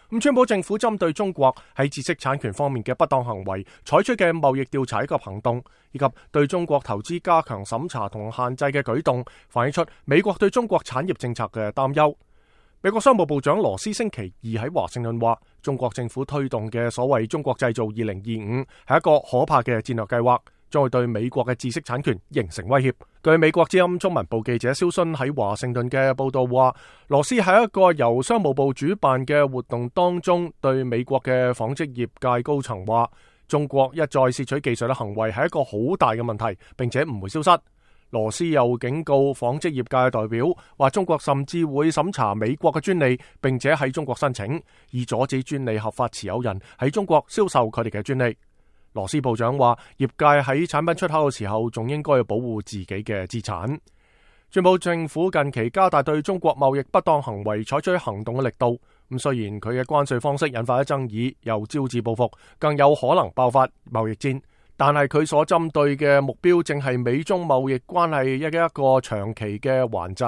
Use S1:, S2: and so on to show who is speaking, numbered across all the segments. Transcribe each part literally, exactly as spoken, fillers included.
S1: 咁川普政府針對中國喺知識產權方面嘅不當行為採取嘅貿易調查以及行動，以及對中國投資加強審查同限制嘅舉動，反映出美國對中國產業政策嘅擔憂。美國商務部長羅斯星期二喺華盛頓話，中國政府推動嘅所謂中國製造二零二五係一個可怕嘅戰略計劃，將會對美國嘅知識產權形成威脅。據美國之音中文部記者蕭勳喺華盛頓嘅報道話，羅斯喺一個由商務部主辦嘅活動當中，對美國嘅紡織業界高層話，中國一再竊取技術嘅行為係一個好大嘅問題，並且唔會消失。羅斯又警告紡織業界代表話，中國甚至會審查美國嘅專利，並且喺中國申請，以阻止專利合法持有人喺中國銷售佢哋嘅專利。羅斯部長話，業界喺產品出口嘅時候，仲應該要保護自己嘅資產。川普政府近期加大對中國貿易不當行為採取行動嘅力度，咁雖然佢嘅關稅方式引發咗爭議，又招致報復，更有可能爆發貿易戰，但係佢所針對嘅目標正係美中貿易關係一一個長期嘅頑疾。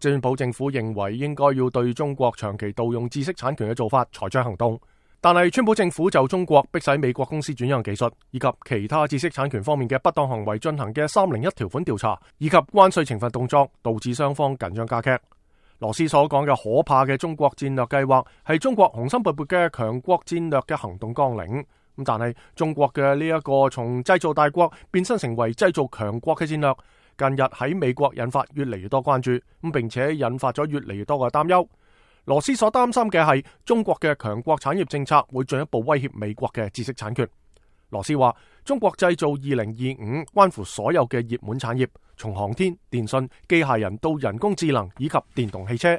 S1: 川普政府認為應該要對中國長期盜用知識產權嘅做法採取行動。但係川普政府就中國迫使美國公司轉讓技術以及其他知識產權方面嘅不當行為進行嘅三零一條款調查，以及關稅懲罰動作，導致雙方緊張加劇。羅斯所講嘅可怕嘅中國戰略計劃係中國雄心勃勃嘅強國戰略嘅行動綱領。咁但係中國嘅呢一個從製造大國變身成為製造強國嘅戰略，近日喺美國引發越嚟越多關注，咁並且引發咗越嚟越多嘅擔憂。羅斯所擔心嘅係中國嘅強國產業政策會進一步威脅美國嘅知識產權。羅斯話，中國製造二零二五關乎所有嘅熱門產業，從航天、電信、機械人到人工智能以及電動汽車。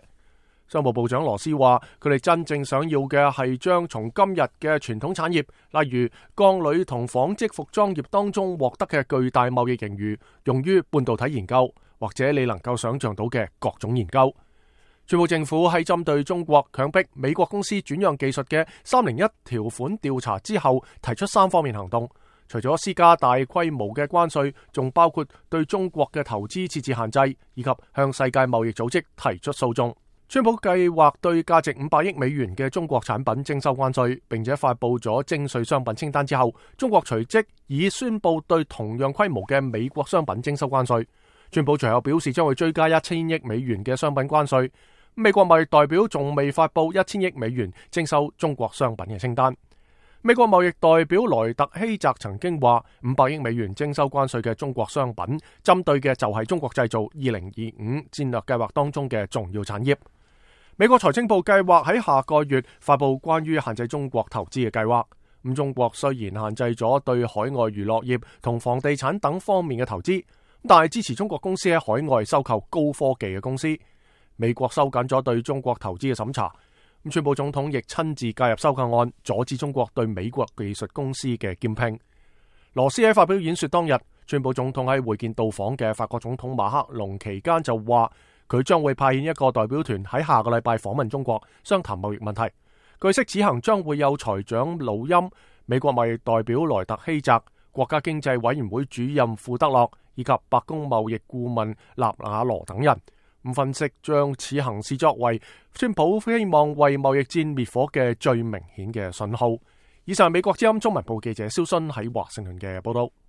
S1: 商務部長羅斯話，佢哋真正想要嘅係將從今日嘅傳統產業，例如鋼鋁同紡織服裝業當中獲得嘅巨大貿易盈餘，用於半導體研究，或者你能夠想象到嘅各種研究。川普政府喺針對中國強迫美國公司轉讓技術嘅三零一條款調查之後，提出三方面行動，除咗施加大規模嘅關稅，仲包括對中國嘅投資設置限制，以及向世界貿易組織提出訴訟。川普計劃對價值五百億美元嘅中國產品徵收關稅，並且發佈咗徵稅商品清單之後，中國隨即已宣布對同樣規模嘅美國商品徵收關稅。川普隨後表示將會追加一千億美元嘅商品關稅。美國貿易代表仲未發佈一千億美元徵收中國商品嘅清單。美國貿易代表萊特希澤曾經話，五百億美元徵收關稅嘅中國商品，針對嘅就係中國製造二零二五戰略計劃當中嘅重要產業。美國財政部計劃喺下個月發佈關於限制中國投資嘅計劃。咁中國雖然限制咗對海外娛樂業同房地產等方面嘅投資，但係支持中國公司喺海外收購高科技嘅公司。美國收緊咗對中國投資嘅審查，咁川普總統亦親自介入收購案，阻止中國對美國技術公司嘅兼併。羅斯喺發表演說當日，川普總統喺會見到訪嘅法國總統馬克龍期間就話，佢將會派遣一個代表團喺下個禮拜訪問中國，商談貿易問題。據悉此行將會有財長魯欽、美國貿易代表萊特希澤、國家經濟委員會主任庫德洛以及白宮貿易顧問納瓦羅等人。咁分析將此行視作為川普希望為貿易戰滅火嘅最明顯嘅信號。以上美國之音中文部記者蕭勳喺華盛頓嘅報道。